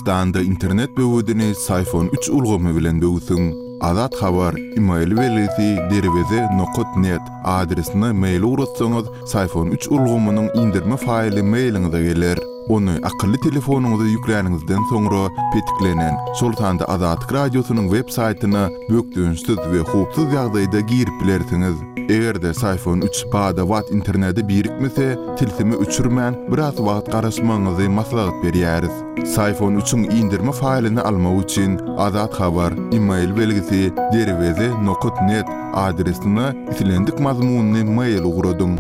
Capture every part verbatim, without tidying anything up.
Türkmenistanda internet böwedini Syfon üç ulgamy bilen böwsüň. Azat Habar, email belgisi derweze nokat net adresine mail ugratsaňyz, Syfon üç ulgamynyň indirme faýly mailiňize geler. Ony akylly telefonyňyza ýükläniňizden soňra petiklenen, şol sanda Azatlyk Radiosynyň web saýtyna bökdençsiz we howpsuz ýagdaýda girip bilersiňiz. Eger-de Syfon üç bada-bat internete birikmese, tilsimi öçürmän biraz wagt garaşmagyňyzy maslahat berýäris. Syfon üçiň indirme faýlyny almak üçin Azat Habar, email belgisi derweze nokat net adresine islendik mazmunly mail ugradyň.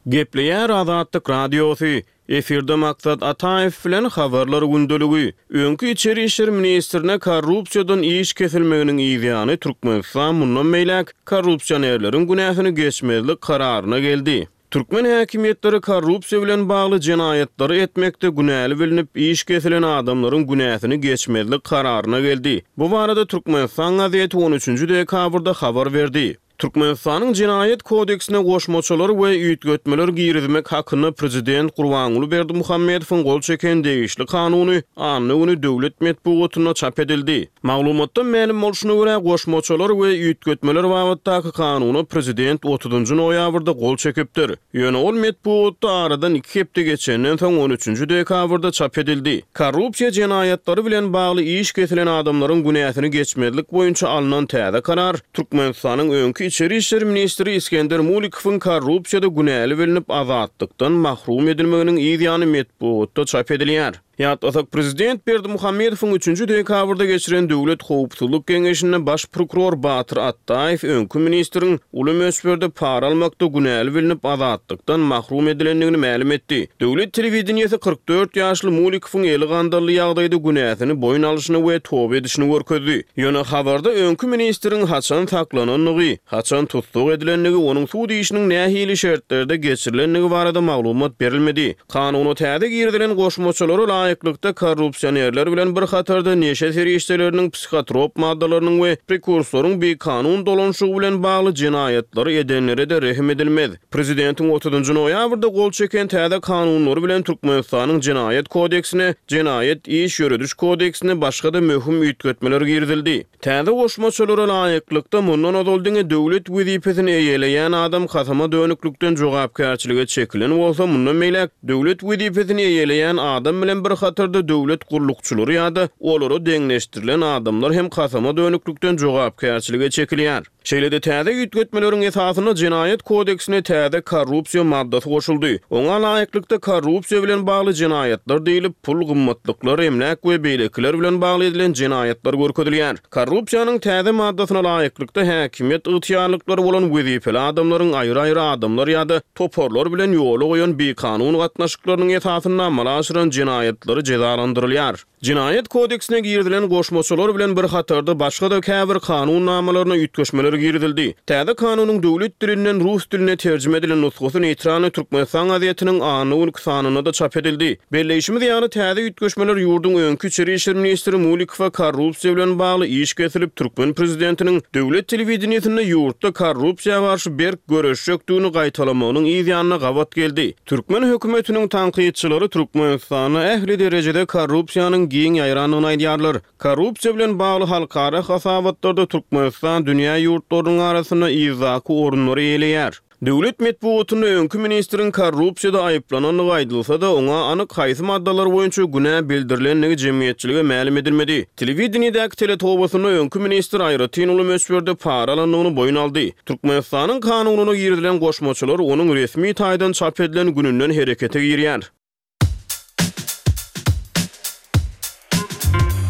Gepleýär Azatlyk Radiosy. Efirde Maksat Ataýew bilen habarlar gündeligi. Öňki içeri işler ministrine korrupsiýadan iş kesilmeginiň ýany Türkmenistan mundan beýläk korrupsionerleriň günäsini geçmezlik kararyna geldi. Türkmen häkimiýetleri korrupsiýa bilen bagly jenaýatlary etmekde günäli bilinip iş kesilen adamlaryň günäsini geçmezlik kararyna geldi. Bu barada Türkmenistan gazeti on üçünji dekabrda habar berdi. Türkmenistanyň Jenaýat kodeksine goşmaçalar we üýtgetmeler girizmek hakynda prezident Gurbanguly Berdimuhamedowyň gol çeken degişli kanuny anna güni döwlet metbugatynda çap edildi. Maglumatdan mälim bolşuna görä goşmaçalar we üýtgetmeler babatdaky kanuna prezident otuzynjy noýabrda gol çekipdir. Ýöne ol metbugatda aradan iki hepde geçenden soň on üçünji dekabrda çap edildi. Korrupsiýa jenaýatlary bilen bagly iş kesilen adamlaryň günäsini geçmezlik boýunça alynan täze karar Türkmenistanyň öňki içeri işler ministri Iskender Mulikowyň korrupsiýada günäli bilinip azatlykdan mahrum edilmeginiň ýany metbugatda çap edilýär. Ýatlasak prezident Berdimuhamedowyň üçünji dekabrda geçiren Döwlet Howpsuzlyk Geňeşinde baş prokuror Batyr Atdaýew öňki ministriň uly möçberde para almakda günäli bilinip azatlykdan mahrum edilendigini mälim etdi. Döwlet telewideniýesi kyrk dört ýaşly Mulikowyň eli gandally ýagdaýda günäsini boýun alyşyny we toba edişini görkezdi. Ýöne habarda öňki ministriň haçan saklanandygy, haçan tussag edilendigi, onuň sud işiniň nähili şertlerde geçirilendigi barada maglumat berilmedi. Kanuna täze girizilen goşmaçalara laýyklykda korrupsionerler bilen bir hatarda neşe serişdeleriniň, psihotrop maddalarynyň we prekursoryň bikanun dolanşygy bilen bagly jenaýatlary edenlere de rehim edilmez. Prezidentiň otuzynjy noýabrda gol çeken täze kanunlary bilen Türkmenistanyň Jenaýat kodeksine, Jenaýat iş ýörediş kodeksine başga da möhüm üýtgetmeler girizildi. Täze goşmaçalara laýyklykda mundan ozal diňe döwlet wezipesini eýeleýän adam kasama dönüklikden jogapkärçilige çekilen bolsa, mundan beýläk döwlet wezipesini eýeleýän adam bilen bir hatarda döwlet gullukçylary ýa-da olara deňleşdirilen adamlar hem kasama dönüklikden jogapkärçilige çekilýär. Şeýle-de täze üýtgetmeleriň esasynda Jenaýat kodeksine täze korrupsiýa maddasy goşuldy. Oňa laýyklykda korrupsiýa bilen bagly jenaýatlar diýilip, pul gymmatlyklar, emläk we beýlekiler bilen bagly edilen jenaýatlar görkezilýär. Korrupsiýanyň täze maddasyna laýyklykda häkimiýet ygtyýarlyklary bolan wezipeli adamlaryň aýry-aýry adamlar ýa-da toparlar bilen ýola goýan bikanun gatnaşyklarynyň esasynda amala aşyran jenaýatlary jezalandyrylýar. Jenaýat kodeksine girizilen goşmaçalar bilen bir hatarda başga da käbir kanun namalaryna üýtgeşmeler girizildi. Täze kanunyň döwlet dilinden rus diline terjime edilen nusgasy Neytralny Türkmenistan gazetiniň anna günki sanynda da çap edildi. Belleýşimiz ýaly täze üýtgeşmeler ýurduň öňki içeri işler ministri Mulikowa korrupsiýa bilen bagly iş kesilip Türkmen prezidentiniň döwlet telewideniýesinde ýurtda korrupsiýa garşy berk göreşjekdigini gaýtalamagynyň ýanyna gabat geldi. Türkmen hökümetiniň tankytçylary Türkmenistanda ähli derejede korrupsiýanyň giň ýaýrandygyny aýdýarlar. Korrupsiýa bilen bagly halkara hasabatlarda Türkmenistan dünýä ýurtlarynyň arasynda yzdaky orunlary eýeleýär. Döwlet metbugatynda öňki ministriň korrupsiýada aýyplanandygy aýdylsa-da, oňa anyk haýsy maddalar boýunça günä bildirilenligi jemgyýetçilige mälim edilmedi. Telewideniýedäki teletobasynda öňki ministr aýratyn uly möçberde para alandygyny boýun aldy. Türkmenistanyň kanunyna girizilen goşmaçalar onuň resmi taýdan çap edilen gününden herekete girýär.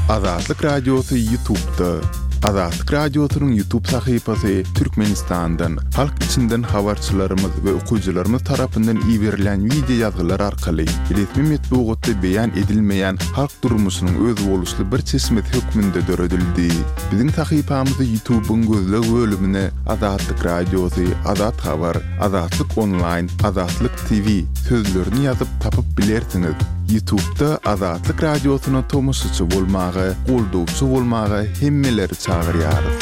Azatlyk Radiosy YouTube'da. Azatlyk Radiosynyň YouTube sahypasy Türkmenistandan, halk içinden habarçylarymyz we okyjylarymyz tarapyndan iberilen video ýazgylar arkaly resmi metbugatda beýan edilmeýän halk durmuşynyň özboluşly bir çeşmesi hökmünde döredildi. Biziň sahypamyzy YouTube'yň gözleg bölümine Azatlyk Radiosy, Azat Habar, Azatlyk Online, Azatlyk T V sözlerini ýazyp tapyp bilersiňiz. YouTube'da Azatlyk Radiosyna tomaşaçy bolmaga, goldawçy bolmaga hemmeleri çagyrýarys.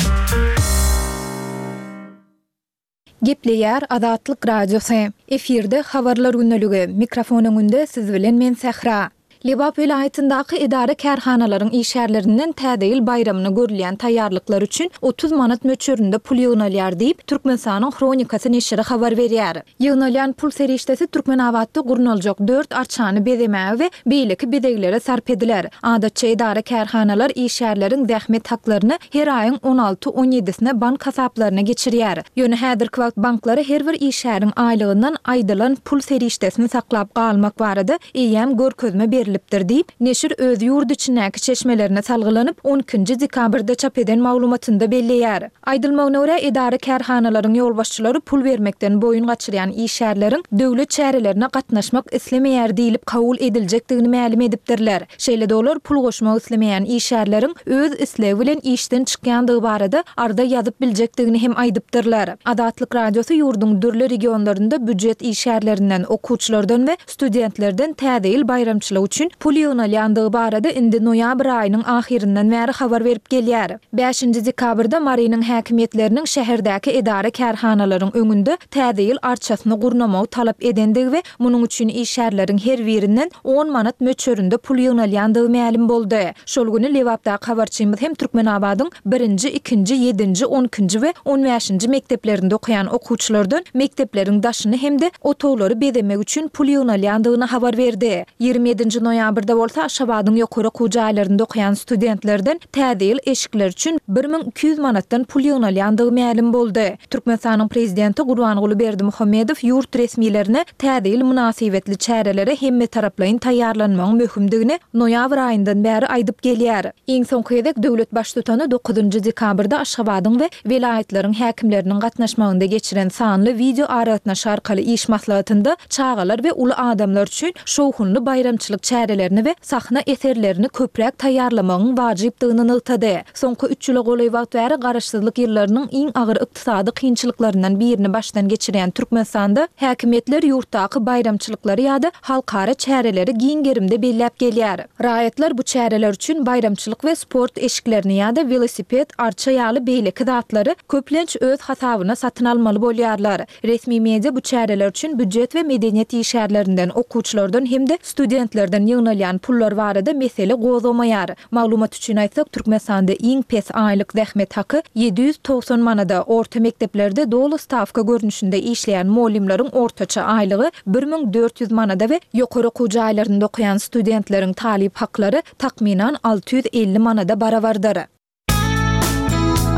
Gepleýär Azatlyk Radiosy. Efirde Habarlar gündeligi. Mikrofon öňünde siz bilen men Sähra. Lebap welaýatyndaky edara-kärhanalaryň işgärlerinden Täze ýyl baýramyna görülýän taýýarlyklar üçin otuz manat möçberinde pul ýygnalýar diýip, Türkmenistanyň Hronikasy neşiri habar berýär. Ýygnalýan pul serişdesi Türkmenabatda gurnaljak dört arçany bezemäge we beýleki bezeglere sarp ediler. Adatça edara-kärhanalar işgärleriň zähmet haklaryny her aýyň on alty-on ýedisine bank hasaplaryna geçirýär. Ýöne häzirki wagt banklara her bir işgäriň aýlygyndan aýdylan pul serişdesini saklap galmak barada eýýäm görkezme berlipdir diýip, neşir öz ýurt içindäki çeşmelerine salgylanyp, on ikinji dekabrda çap eden maglumatynda belleýär. Aýdylmagyna görä, edara-kärhanalaryň ýolbaşçylary pul bermekden boýun gaçyrýan işgärleriň döwlet çärelerine gatnaşmak islemeýär diýlip kabul ediljekdigini mälim edipdirler. Şeýle-de olar pul goşmak islemeýän işgärleriň öz islegi bilen işden çykýandygy barada arza ýazyp biljekdigini hem aýdypdyrlar. Azatlyk Radiosy ýurduň dürli regionlarynda býujet işgärlerinden, okuwçylardan we studentlerden Täze ýyl baýramçylygy üçin pul ýygnalýandygy barada indi noýabr aýynyň ahyryndan bäri habar berip gelýär. Bäşinji dekabrda Marynyň häkimiýetleriniň şäherdäki edara-kärhanalaryň öňünde Täze ýyl arçasyny gurnamagy talap edendigi we munuň üçin işgärleriň her birinden on manat möçberinde pul ýygnalýandygy mälim boldy. Şol güni Lebapdaky habarçymyz hem Türkmenabadyň birinji, ikinji, ýedinji, on ikinji we on bäşinji mekdeplerinde okaýan okuwçylardan mekdepleriň daşyny hem-de otaglary bezemek üçin pul ýygnalýandygyny habar berdi. Ýigrimi ýedinji noýabrda bolsa Aşgabadyň ýokary okuw jaýlarynda okaýan studentlerden Täze ýyl eşikleri üçin bir müň iki ýüz manatdan pul ýygnalýandygy mälim boldy. Türkmenistanyň Prezidenti Gurbanguly Berdimuhamedow ýurt resmilerine Täze ýyl mynasybetli çärelere hemmetaraplaýyn taýýarlanmagyň möhümdigini noýabr aýyndan bäri aýdyp gelýär. Iň soňky gezek döwlet Baştutany dokuzynjy dekabrda Aşgabadyň we welaýatlaryň häkimleriniň gatnaşmagynda geçiren sanly wideoaragatnaşyk arkaly iş maslahatynda çagalar we uly adamlar üçin şowhunly baýramçylyk çärelerini we sahna eserlerini köpräk taýýarlamagyň wajypdygyny nygtady. Soňky üç ýyla golaý wagt bäri garaşsyzlyk ýyllarynyň iň agyr ykdysady kynçylyklaryndan birini başdan geçirýän Türkmenistanda häkimiýetler ýurtdaky baýramçylyklary ýa-da halkara çäreleri giň gerimde belläp gelýär. Raýatlar bu çäreler üçin baýramçylyk we sport eşiklerini ýa-da welosiped, arça ýaly beýleki zatlary köplenç öz hasabyna satyn almaly bolýarlar. Resmi media bu çäreler üçin býujet we medeniýet işgärlerinden, okuwçylardan hem-de studentlerden ýygnalýan pullar barada mesele gozgamaýar. Maglumat üçin aýtsak, Türkmenistanda iň pes aýlyk zähmet haky ýedi ýüz togsan manada, orta mekdeplerde doly stawka görnüşinde işleýän mugallymlaryň ortaça aýlygy bir müň dört ýüz manada we ýokary okuw jaýlarynda okaýan studentleriň talyp haklary takmynan alty ýüz elli manada barabardyr.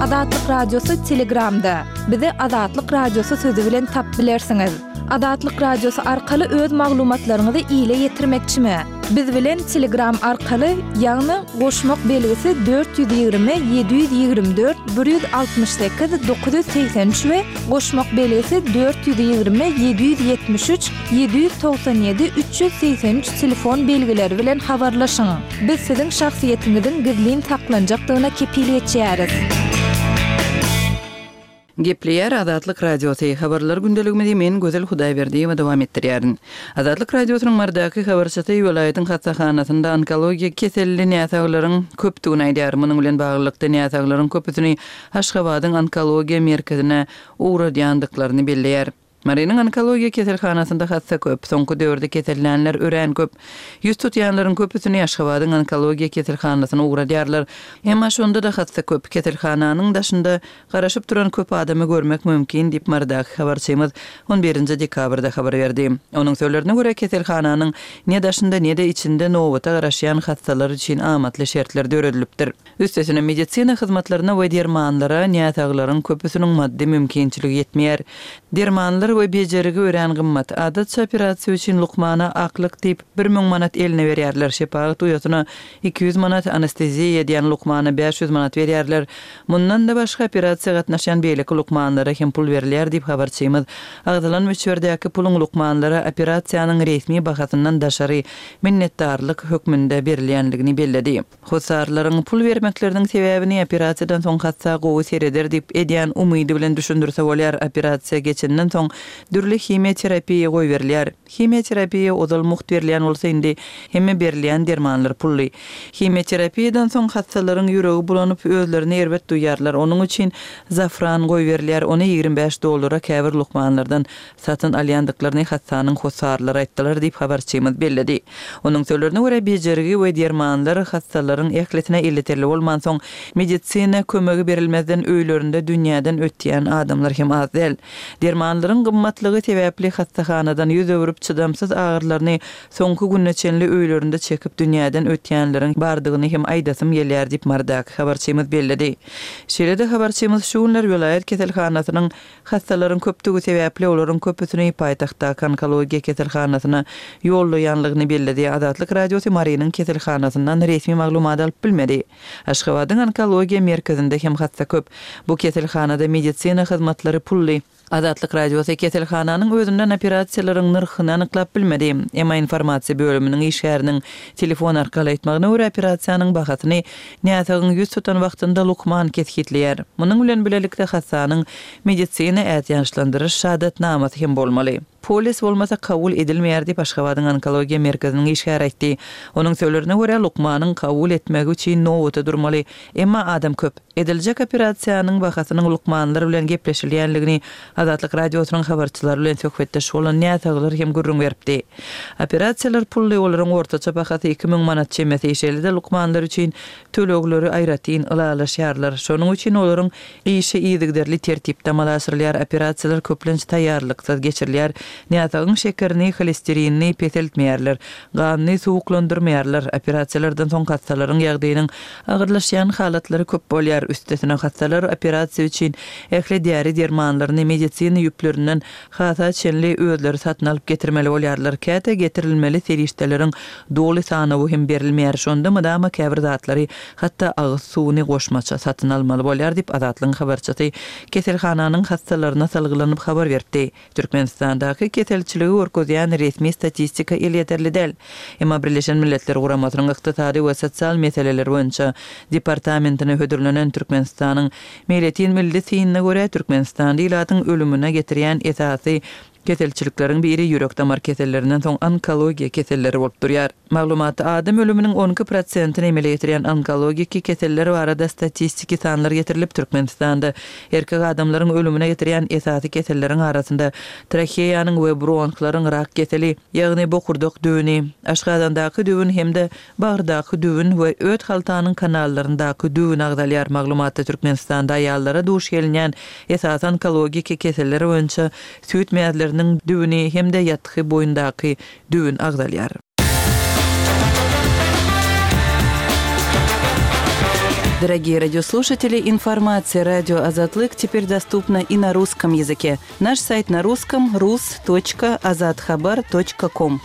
Azatlyk Radiosy Telegramda. Bizi Azatlyk Radiosy sözi bilen tapyp bilersiňiz. Azatlyk Radiosy arkaly öz maglumatlaryňyzy ile ýetirmekçimi? Biz bilen Telegram arkaly, ýagny goşmak belgisi dört ýüz ýigrimi ýedi ýüz ýigrimi dört bir ýüz altmyş sekiz dokuz ýüz segsen üç we goşmak belgisi dört ýüz ýigrimi ýedi ýüz ýetmiş üç ýedi ýüz togsan ýedi üç ýüz segsen üç telefon belgileri bilen habarlaşyň. Biz siziň şahsyýetiňiziň gizlin saklanjakdygyna kepil geçýäris. Gepleýär Azatlyk Radiosy, Habarlar gündeligimizi men Gözel Hudaýberdiýewa dowam etdirýärin. Azatlyk Radiosynyň Marydaky habarçysy welaýatyň hassahanasynda onkologiýa keselli näsaglaryň köpdügini aýdýar. Munuň bilen baglylykda, näsaglaryň köpüsini Aşgabadyň onkologiýa merkezine ugradýandyklaryny belleýär. Marynyň onkologiýa keselhanasynda hassa köp. Soňky döwürde kesellänler örän köp. Ýüz tutýanlaryň köpüsini Aşgabadyň onkologiýa keselhanasyna ugradýarlar. Emma şonda-da hassa köp. Keselhananyň daşynda garaşyp duran köp adamy görmek mümkin diýip, Marydaky habarçymyz on birinji dekabrda habar berdi. Onuň sözlerine görä, keselhananyň ne daşynda, ne-de içinde nobata garaşýan hassalar üçin amatly şertler döredilipdir. Üstesine, medisina hyzmatlaryna we dermanlara näsaglaryň köpüsiniň maddy mümkinçiligi ýetmeýär. Dermanlar we bejergi örän gymmat. Adatça operasiýa üçin lukmana aklyk diýip, bir müň manat eline berýärler, şepagat uýasyna iki ýüz manat, anesteziýa edýän lukmana bäş ýüz manat berýärler. Mundan-da başga, operasiýa gatnaşýan beýleki lukmanlara hem pul berilýär diýip, habarçymyz agzalan möçberdäki puluň lukmanlara operasiýanyň resmi bahasyndan daşary minnetdarlyk hökmünde berilýändigini belledi. Hossarlaryň pul bermekleriniň sebäbini operasiýadan soň hassa gowy sereder diýip edýän umydy bilen düşündirse bolýar, operasiýa geçenden soň dürli himiýa terapiýa goýberilýär. Himiýa terapiýa ozal mugt berilýän bolsa indi hemme berilýän dermanlar pully. Himiýa terapiýadan soň hassalaryň ýüregi bulanyp özlerini erbet duýarlar. Onuň üçin zafran goýberilýär. Ony ýigrimi bäş dollara käbir lukmanlardan satyn alýandyklaryny hassanyň hossarlary aýtdylar diýip habarçymyz belledi. Onuň sözlerine görä bejergi we dermanlar hassalaryň ählisine elýeterli bolmansoň medisina kömegi berilmezden öýlerinde dünýäden ötýän adamlar hem az däl. Dermanlaryň gymmatlygy sebäpli hassahanadan ýüz öwrüp çydamsyz agyrlaryny soňky gününe çenli öýlerinde çekip dünýäden ötýänleriň bardygyny hem aýdasym gelýär diýip Marydaky habarçymyz belledi. Şeýle-de habarçymyz şu günler welaýat keselhanasynyň hassalaryň köpdügi sebäpli olaryň köpüsini paýtagtdaky onkologiýa keselhanasyna ýollaýanlygyny belledi. Azatlyk Radiosy Marynyň keselhanasyndan resmi maglumat alyp bilmedi. Aşgabadyň onkologiýa merkezinde hem hassa köp. Bu keselhanada medisina hyzmatlary pully. Azatlyk Radiosy keselhananyň özünden operasiýalaryň nyrhyny anyklap bilmedi. Emma informasiýa bölüminiň işgäriniň telefon arkaly aýtmagyna görä operasiýanyň bahasyny näsagyň ýüz tutan wagtynda lukman kesgitleýär. Munuň bilen bilelikde hassanyň medisina ätiýaçlandyryş şahadatnamasy hem bolmaly. Polis bolmasa kabul edilmeýär diýip Aşgabadyň onkologiýa merkeziniň işgäri aýtdy. Onuň sözlerine görä lukmanyň kabul etmegi üçin nowata durmaly. Emma adam köp. Ediljek operasiýanyň bahasynyň lukmanlar bilen gepleşilýänligini Azatlyk Radiosynyň habarçylary bilen söhbetdeş bolan näsaglar hem gürrüň beripdi. Operasiýalar pully olaryň ortaça bahasy iki müň manat çemesi, şeýle-de lukmanlar üçin tölegleri aýratyn ylalaşýarlar. Şonuň üçin olaryň işi yzygiderli tertipde amala aşyrylýar. Operasiýalar köplenç taýýarlyksyz geçirilýär. Näsagyň şekerini, holesterinini peseltmeýärler. Ganyny suwuklandyrmaýarlar. Operasiýalardan soň hassalaryň ýagdaýynyň agyrlaşýan halatlary köp bolýar. Üstesine hassalar operasiýa üçin ähli däri dermanlaryny medisina ýüplerinden hasa çenli özleri satyn alyp getirmeli bolýarlar. Käte getirilmeli serişdeleriň doly sanawy hem berilmeýär. Şonda mydama käbir zatlary, hatda agyz suwuny goşmaça satyn almaly bolýar diýip Azatlygyň habarçysy keselhananyň hassalaryna salgylanyp habar berdi. Türkmenistandaky keselçiligi görkezýän resmi statistika elýeterli däl. Emma Birleşen Milletler Guramasynyň ykdysady we sosial meseleler boýunça departamentine hödürlenen Türkmenistanyň Meýletin milli synyna görä Türkmenistanda ilatyň ölümine getirýän esasy keselçilikleriň biri ýürek damar kesellerinden soň onkologiýa keselleri bolup durýar. Maglumatda adam ölüminiň on iki prosentini emele getirýän onkologiki keseller barada statistiki sanlar getirilip, Türkmenistanda erkek adamlaryň ölümine getirýän esasy keselleriň arasynda traheýanyň we bronhlaryň rak keseli, ýagny bokurdak düwüni, aşgazandaky düwün hem-de bagyrdaky düwün we öt haltanyň kanallaryndaky düwün agzalýar. Maglumatda Türkmenistanda aýallara duş gelinýän esasy onkologiki keseller boýunça süýt mäzleriniň düwüni hem-de ýatgy boýundaky düwün agzalýar. Дорогие радиослушатели, информация радио Азатлык теперь доступна и на русском языке. Наш сайт на русском рус точка азатхабар точка ком.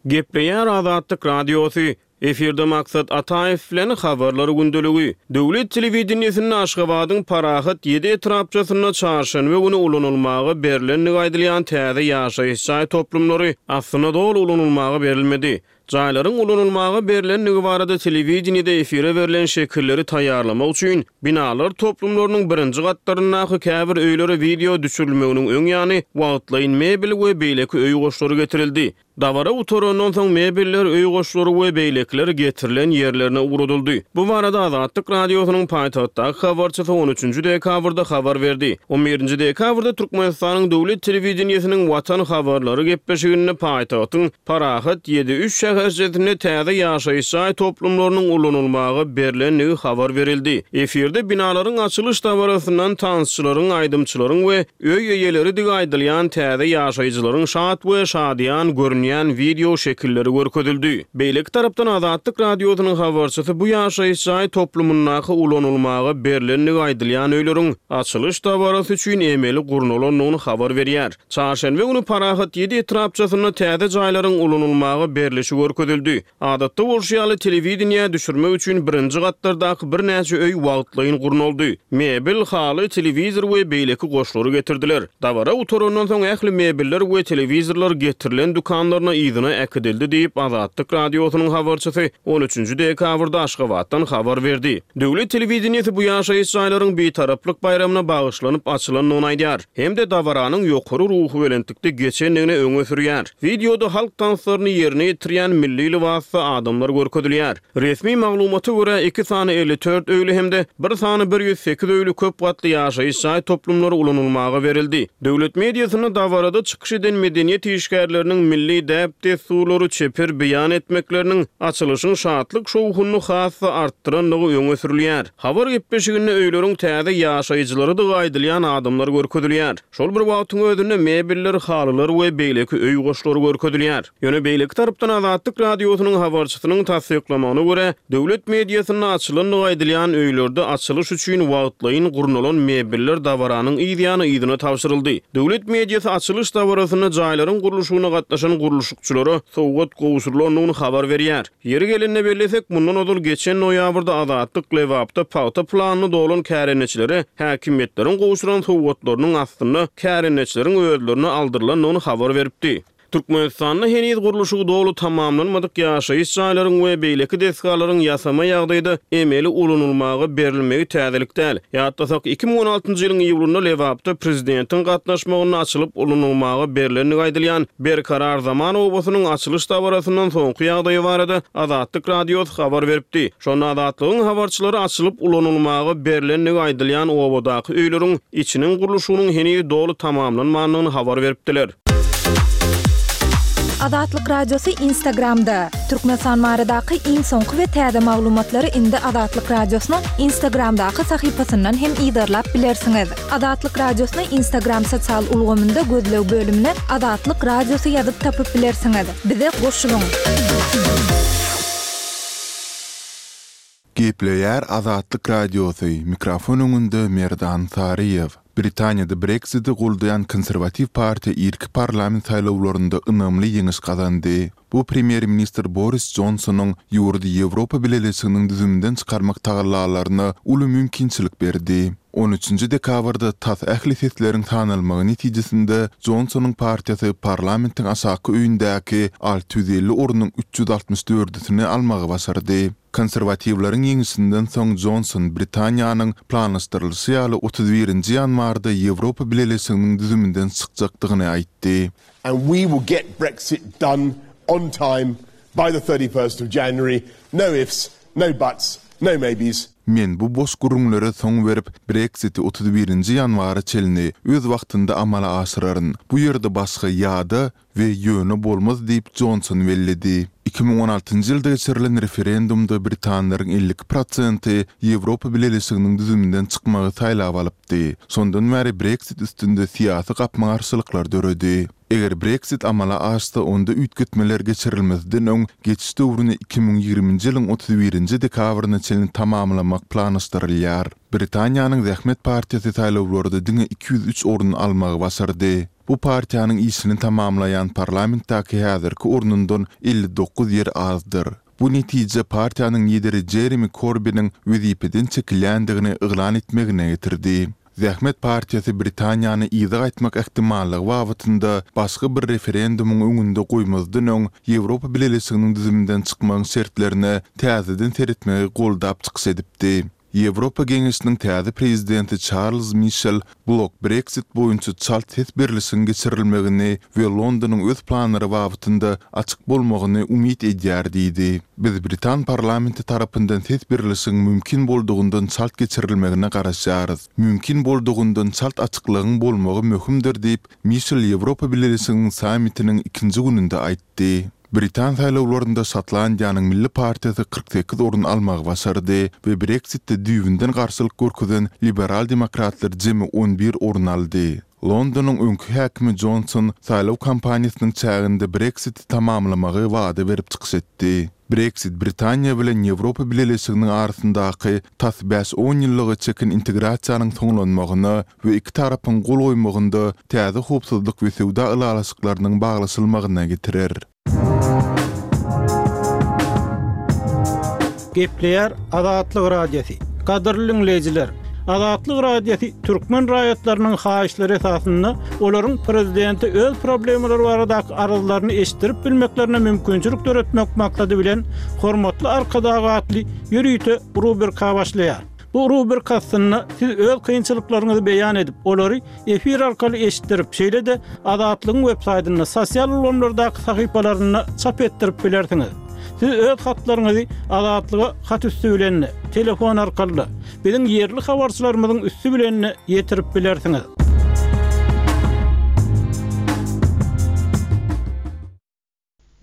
Gepleýär Azatlyk Radiosy. Efirde Maksat Ataýew bilen habarlar gündeligi. Döwlet telewideniýesinde Aşgabadyň Parahat ýedi etrapçasynda çarşenbe güni ulanylmaga berilendigi aýdylýan täze ýaşaýyş jaý toplumlary aslynda doly ulanylmaga berilmedi. Jaýlaryň ulanylmaga berilendigi barada telewideniýede efire berlen şekilleri taýýarlamak üçin binalar toplumlarynyň birinji gatlaryndaky käbir öýlere video düşürilmeginiň öň ýany wagtlaýyn mebel we beýleki öý goşlary getirildi. Dabara utarandan soň mebeller, öý goşlary we beýlekiler getirilen ýerlerine ugradyldy. Bu barada Azatlyk Radiosynyň paýtagtdaky habarçysy on üçünji dekabrda habar berdi. on birinji dekabrda Türkmenistanyň döwlet telewideniýesiniň Watan habarlary gepleşiginde paýtagtyň Parahat ýedi üç şäherçesinde täze ýaşaýyş jaý toplumlarynyň ulanylmaga berilendigi habar berildi. Efirde binalaryň açylyş dabarasyndan tansçylaryň, aýdymçylaryň we öý eýeleri digi aýdylýan täze ýaşaýjylaryň şat we şadyýan görünýän video şekilleri görkezildi. Beýleki tarapdan Azatlyk Radiosynyň habarçysy bu ýaşaýyş jaý toplumyndaky ulanylmaga berilendigi aýdylýan öýleriň açylyş dabarasy üçin emeli gurnalandygyny habar berýär. Çarşenbe güni Parahat ýedi etrapçasynda täze jaýlaryň ulanylmaga berilişi görkezildi. Adatda bolşy ýaly telewideniýä düşürmek üçin birinji gatlardaky birnäçe öý wagtlaýyn gurnaldy. Mebel, haly, telewizor we beýleki goşlary getirdiler. Dabara utarandan soň ähli mebeller we telewizorlar getirilen dükanlar edaralaryna yzyna äkidildi diýip, Azatlyk Radiosynyň habarçysy on üçünji dekabrda Aşgabatdan habar berdi. Döwlet telewideniýesi bu ýaşaýyş jaýlaryň Bitaraplyk baýramyna bagyşlanyp açylandygyny aýdýar hem-de dabaranyň ýokary ruhubelentlikde geçendigini öňe sürýär. Wideoda halk tanslaryny ýerine ýetirýän milli lybasda adamlar görkezilýär. Resmi maglumata görä, iki sany elli dört öýli hem-de bir sany bir ýüz sekiz öýli köp gatly ýaşaýyş jaý toplumlary ulanylmaga berildi. Döwlet mediasynda dabarada çykyş eden medeniýet işgärleriniň milli däp-dessurlary çeper beýan etmekleriniň açylyşyň şatlyk şowhunyny has-da artdyrandygy öňe sürülýär. Habar gepleşiginde öýleriň täze ýaşaýjylarydygy aýdylýan adamlar görkezilýär. Şol bir wagtyň özünde mebeller, halylar we beýleki öý goşlary görkezilýär. Ýöne beýleki tarapdan Azatlyk Radiosynyň habarçysynyň tassyklamagyna görä, döwlet mediasynda açylandygy aýdylýan öýlerde açylyş üçin wagtlaýyn gurnalan mebeller dabaranyň yzýany yzyna tabşyryldy. Döwlet mediasy açylyş dabarasynda jaýlaryň gurluşygyna gatnaşan gurluşykçylara sowgat gowşurylandygyny habar berýär. Ýeri gelende bellesek, mundan ozal geçen noýabrda Azatlyk Lebapda pagta planyny dolan kärendeçilere häkimiýetleriň gowşuran sowgatlarynyň aslynda kärendeçileriň özlerine aldyrylandygyny habar beripdi. Türkmenistanda heniz gurluşygy doly tamamlanmadyk ýaşaýyş jaýlaryň we beýleki desgalaryň ýasama ýagdaýda emeli ulanylmaga berilmegi täzelik däl. Ýatlasak, iki müň on altynjy ýylyň iýulynda Lebapda prezidentiň gatnaşmagynda açylyp ulanylmaga berilendigi aýdylýan Berkarar zaman obasynyň açylyş dabarasyndan soňky ýagdaýy barada Azatlyk Radiosy habar beripdi. Şonda Azatlygyň habarçylary açylyp ulanylmaga berilendigi aýdylýan obadaky öýleriň içiniň gurluşygynyň heniz doly tamamlanmandygyny habar beripdiler. Azatlyk Radiosy Instagramda. Türkmenistan baradaky iň soňky we täze maglumatlary indi Azatlyk Radiosynyň Instagramdaky sahypasyndan hem yzarlap bilersiňiz. Azatlyk Radiosyny Instagram sosial ulgamynda gözleg bölümine Azatlyk Radiosy ýazyp tapyp bilersiňiz. Bize goşulyň. Gepleýär Azatlyk Radiosy, mikrofon öňünde Merdan Saryýew. Britaniýada Brexiti goldaýan konserwatiw partiýa irki parlament saýlawlarynda ynamly ýeňiş gazandy. Bu premýer-ministr Boris Johnsonyň ýurdy Ýewropa Bileleşiginiň düzüminden çykarmak tagallalaryna uly mümkinçilik berdi. On üçünji dekabrda tas ähli sesleriň sanalmagy netijesinde Johnsonyň partiýasy parlamentiň aşaky öýündäki alty ýüz elli ornuň üç ýüz altmyş dördüsini almagy başardy. Konserwatiwleriň ýeňişinden soň Johnson Britaniýanyň planlaşdyrylyşy ýaly otuz birinji ýanwarda Ýewropa Bileleşiginiň düzüminden çykjakdygyny aýtdy. And we will get Brexit done on time by the thirty first of January. No ifs, no buts, no maybes. Men bu boş gürrüňlere soň berip, Brexiti otuz birinji ýanwara çenli öz wagtynda amala aşyraryn. Bu ýerde başga ýa-da we ýöne bolmaz diýip Johnson belledi. Iki müň on altynjy ýylda geçirilen referendumda britanlaryň elli iki prosenti Ýewropa Bileleşiginiň düzüminden çykmagy saýlap alypdy. Şondan bäri Brexit üstünde syýasy gapma-garşylyklar döredi. Eger Brexit amala aşsa, onda üýtgetmeler geçirilmezden öň geçiş döwrüni iki müň ýigriminji ýylyň otuz birinji dekabryna çenli tamamlamak planlaşdyrylýar. Britaniýanyň Zähmet partiýasy saýlawlarda diňe iki ýüz üç orun almagy başardy. Bu partiýanyň işini tamamlaýan parlamentdäki häzirki ornundan elli dokuz ýer azdyr. Bu netije partiýanyň lideri Jeremy Corbiniň wezipeden çekilýändigini yglan etmegine getirdi. Zähmet partiýasy Britaniýany yza gaýtmak ähtimallygy babatynda başga bir referendumyň öňünde goýmazdan öň Ýewropa Bileleşiginiň düzüminden çykmagyň şertlerine täzeden seretmegi goldap çykyş edipdi. Ýewropa Geňeşiniň täze prezidenti Charles Michel blok Brexit boýunça çalt ses berlişigiň geçirilmegini we Londonyň öz planlary babatynda açyk bolmagyny umyt edýär diýdi. Biz Britan parlamenti tarapyndan ses berlişigiň mümkin boldugyndan çalt geçirilmegine garaşýarys. Mümkin boldugyndan çalt açyklygyň bolmagy möhümdir diýip, Michel Ýewropa Bileleşiginiň sammitiniň ikinji gününde aýtdy. Britan saýlawlarynda Şotlandiýanyň Milli partiýasy kyrk sekiz orun almagy başardy we Brexitde düýbünden garşylyk görkezen liberal demokratlar jemi on bir orun aldy. Londonyň öňki häkimi Johnson saýlaw kampaniýasynyň çäginde Brexiti tamamlamagy wada berip çykyş etdi. Brexit Britaniýa bilen Ýewropa Bileleşiginiň arasyndaky tas bäş-on ýyllyga çeken integrasiýanyň soňlanmagyna we iki tarapyň gol goýmagynda täze howpsuzlyk we söwda ylalaşyklarynyň baglaşylmagyna getirer. Gepleýär Azatlyk Radiosy. Gadyrly dinleýjiler, Azatlyk Radiosy türkmen raýatlarynyň haýyşlary esasynda olaryň prezidente öz problemalary baradaky arzlaryny eşitdirip bilmeklerine mümkinçilik döretmek maksady bilen Hormatly Arkadag atly ýörite rubrika başlaýar. Bu rubrika astynda siz öz kynçylyklaryňyzy beýan edip, olary efir arkaly eşitdirip, şeýle-de Azatlygyň web saýtynda, sosial ulgamlardaky sahypalarynda çap etdirip bilersiňiz. Siz öz hatlaryňyzy Azatlyga hat üsti bilen, telefon arkaly, biziň ýerli habarçylarymyzyň üsti bilen ýetirip bilersiňiz.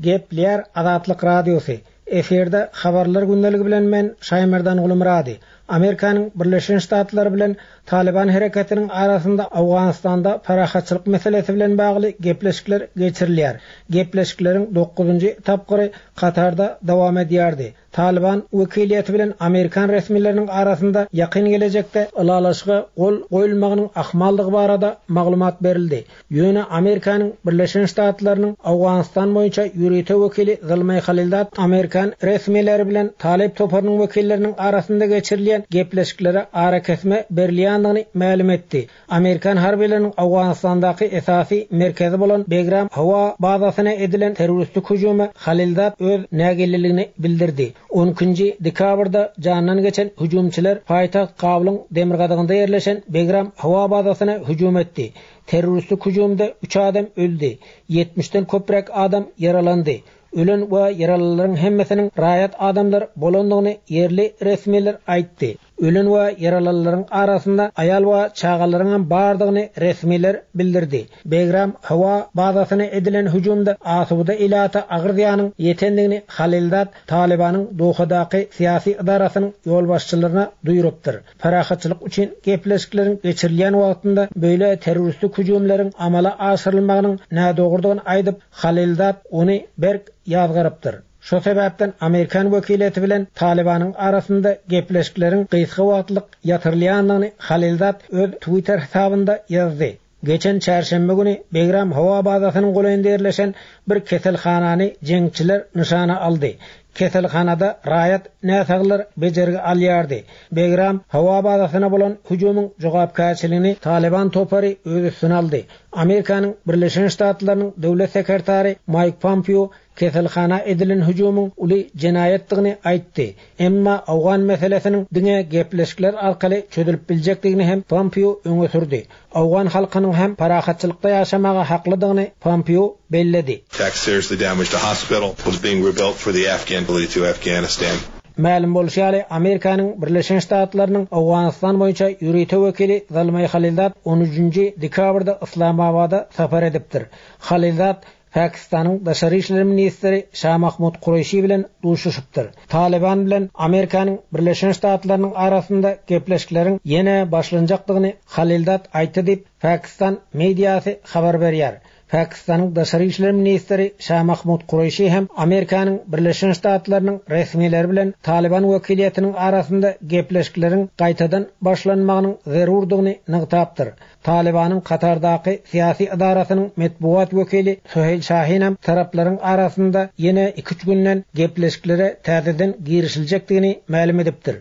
Gepleýär Azatlyk Radiosy. Efirde habarlar gündeligi bilen men Şaýmerdan Gulumyrady. Amerikanyň Birleşen Ştatlary bilen Taliban hereketiniň arasynda Owganystanda parahatçylyk meselesi bilen bagly gepleşikler geçirilýär. Gepleşikleriň dokuzynjy tapgyry Katarda dowam edýärdi. Taliban wekiliýeti bilen Amerikan resmileriniň arasynda ýakyn gelejekde ylalaşyga gol goýulmagynyň ahmaldygy barada maglumat berildi. Ýöne Amerikanyň Birleşen Ştatlarynyň Owganystan boýunça ýörite wekili Zalmay Halilzad Amerikan resmileri bilen Talip toparynyň wekilleriniň arasynda geçirilýän gepleşiklere arakesme berilýändigini mälim etdi. Amerikan harbylarynyň Owganystandaky esasy merkezi bolan Begram howa bazasyna edilen terroristik hüjüme Halilzad öz nägileligini bildirdi. On ikinji dekabrda jandan geçen hüjümçiler paýtagt Kabulyň demirgazygynda ýerleşen Begram howa bazasyna hüjüm etdi. Terroristik hüjümde üç adam öldi. ýetmişden köpräk adam ýaralandy. Ölen we ýaralylaryň hemmesiniň raýat adamlar bolandygyny ýerli resmiler aýtdy. Ölen we ýaralylaryň arasynda aýal we çagalaryň hem bardygyny resmiler bildirdi. Begram howa bazasyna edilen hüjümde asuda ilata agyr zyýanyň ýetendigini Halilzad Talibanyň Dohadaky syýasy idarasynyň ýolbaşçylaryna duýrupdyr. Parahatçylyk üçin gepleşikleriň geçirilýän wagtynda böyle terroristik hüjümleriň amala aşyrylmagynyň nädogrudygyny aýdyp, Halilzad ony berk ýazgarypdyr. Şo sebäpden Amerikan wekiliýeti bilen Talibanyň arasynda gepleşikleriň gysga wagtlyk ýatyrylýandygyny Halilzad öz Twitter hesabynda ýazdy. Geçen çarşenbe güni Begram howa bazasynyň golaýynda ýerleşen bir keselhanany jeňçiler nyşana aldy. Keselhanada raýat näsaglar bejergi alýardy. Begram howa bazasyna bolan hüjümiň jogapkärçiligini Taliban topary öz üstüne aldy. Amerikanyň Birleşen Ştatlarynyň döwlet sekretary Mike Pompeo keselhana edilen hüjümiň uly jenaýatdygyny aýtdy. Emma Owgan meselesiniň diňe gepleşikler arkaly çözülip biljekdigini hem Pompeo öňe sürdi. Owgan halkynyň hem parahatçylykda ýaşamaga haklydygyny Pompeo belledi. Attack seriously damaged a hospital was being rebuilt for the Afghan to Afghanistan. Mälim bolşy ýaly, Amerikanyň Birleşen Ştatlarynyň Owganystan boýunça ýörite wekili Zalmay Halilzad on üçünji dekabrda Islamabada sapar edipdir. Halilzad Pakistanyň Daşary işler ministri Şah Mahmud Kureşi bilen duşuşypdyr. Taliban bilen Amerikanyň Birleşen Ştatlarynyň arasynda gepleşikleriň ýene başlanjakdygyny Halilzad aýtdy diýip, Pakistan mediasy habar berýär. Pakistanyň Daşary işler ministri Şah Mahmud Kureşi hem Amerikanyň Birleşen Ştatlarynyň resmileri bilen Taliban wekiliýetiniň arasynda gepleşikleriň gaýtadan başlanmagynyň zerurdygyny nygtapdyr. Talibanyň Katardaky syýasy idarasynyň metbugat wekili Suheýl Şahin hem taraplaryň arasynda ýene iki üç günden gepleşiklere täzeden girişiljekdigini mälim edipdir.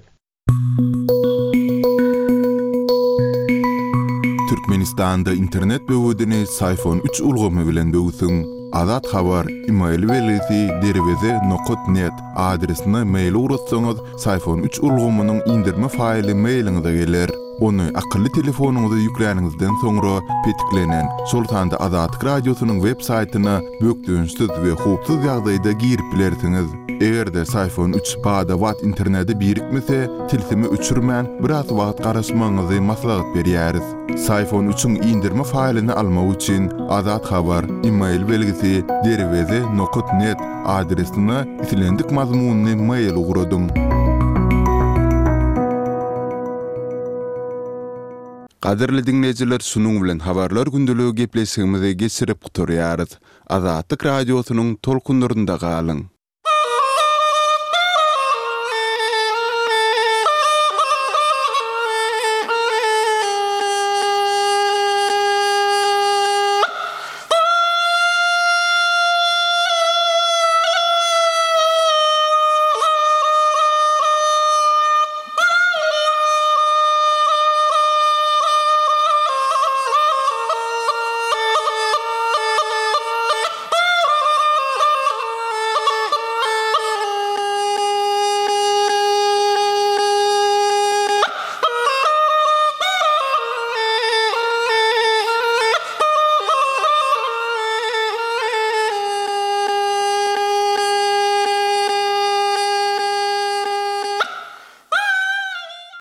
Türkmenistanda internet böwedini Syfon üç ulgamy bilen böwsüň. Azat Habar e-mail belgisi derweze nokat net adresine mail ugratsaňyz, Syfon üç ulgamynyň indirme faýly mailiňize geler. Ony akylly telefonyňyza ýükläniňizden soňra petiklenen, şol sanda Azatlyk Radiosynyň web saýtyna bökdençsiz we howpsuz ýagdaýda girip bilersiňiz. Eger-de Syfon üç bada-bat internete birikmese, tilsimi öçürmän biraz wagt garaşmagyňyzy maslahat berýäris. Syfon üçiň indirme faýlyny almak üçin Azat Habar e-mail belgisi derweze nokat net adresine islendik mazmunyny mail ugradyň. Gadyrly dinleýjiler, şunuň bilen habarlar gündeligi gepleşigimizi geçirip gutarýarys. Azatlyk Radiosynyň tolkunlarynda galyň.